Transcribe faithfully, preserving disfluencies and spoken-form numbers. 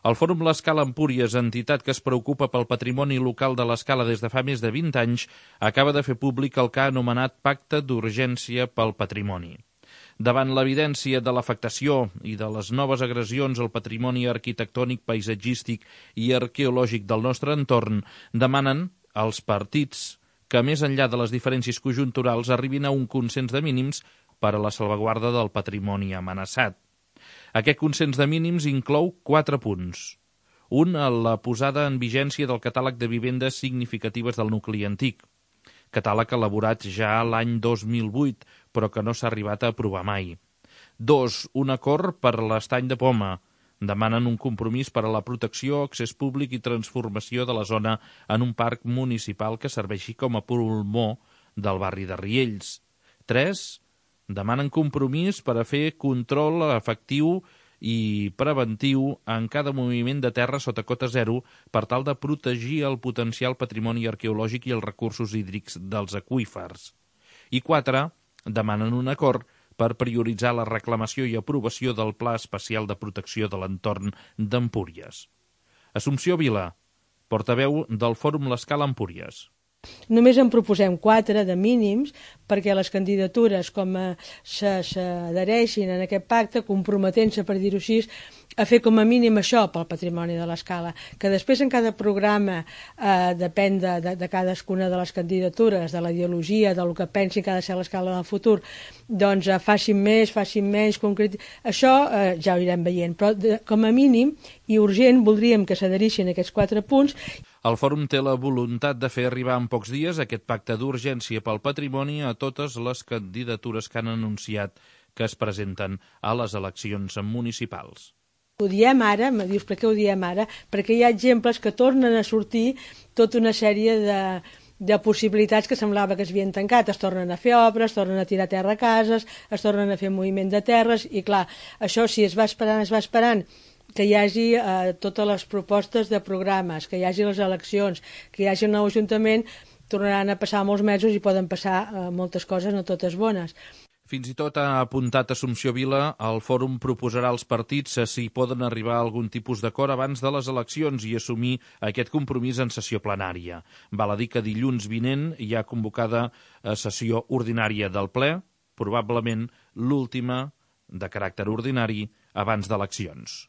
El Fòrum L'Escala Empúries, entitat que es preocupa pel patrimoni local de l'Escala des de fa més de vint anys, acaba de fer públic el que ha anomenat Pacte d'Urgència pel Patrimoni. Davant l'evidència de l'afectació i de les noves agressions al patrimoni arquitectònic, paisatgístic i arqueològic del nostre entorn, demanen als partits que, més enllà de les diferències conjunturals, arribin a un consens de mínims per a la salvaguarda del patrimoni amenaçat. Aquest consens de mínims inclou quatre punts. Un, la posada en vigència del catàleg de vivendes significatives del nucli antic, catàleg elaborat ja l'any dos mil vuit, però que no s'ha arribat a aprovar mai. Dos, un acord per l'Estany de Poma. Demanen un compromís per a la protecció, accés públic i transformació de la zona en un parc municipal que serveixi com a pulmó del barri de Riells. Tres, demanen compromís per a fer control efectiu i preventiu en cada moviment de terra sota cota zero per tal de protegir el potencial patrimoni arqueològic i els recursos hídrics dels aqüífers. I quatre, demanen un acord per prioritzar la reclamació i aprovació del Pla Especial de Protecció de l'Entorn d'Empúries. Assumpció Vila, portaveu del Fòrum L'Escala Empúries. Només en proposem quatre de mínims perquè les candidatures com s'adhereixin en aquest pacte, comprometent-se, per dir-ho així, a fer com a mínim això pel patrimoni de l'Escala. Que després en cada programa eh, depèn de, de, de cadascuna de les candidatures, de la ideologia, del que pensin que ha de ser l'Escala del futur, doncs eh, facin més, facin menys, concret... Això eh, ja ho irem veient, però de, com a mínim i urgent voldríem que s'adherixin aquests quatre punts. El fòrum té la voluntat de fer arribar en pocs dies aquest pacte d'urgència pel patrimoni a totes les candidatures que han anunciat que es presenten a les eleccions municipals. Ho diem ara, me dius per què ho diem ara? Perquè hi ha exemples que tornen a sortir tota una sèrie de, de possibilitats que semblava que es havien tancat. Es tornen a fer obres, es tornen a tirar terra a cases, es tornen a fer moviment de terres i clar, això si es va esperant, es va esperant que hi hagi eh, totes les propostes de programes, que hi hagi les eleccions, que hi hagi un nou ajuntament, tornaran a passar molts mesos i poden passar eh, moltes coses, no totes bones. Fins i tot ha apuntat Assumpció Vila, el fòrum proposarà als partits si poden arribar a algun tipus d'acord abans de les eleccions i assumir aquest compromís en sessió plenària. Val a dir que dilluns vinent hi ha convocada sessió ordinària del ple, probablement l'última de caràcter ordinari abans d'eleccions.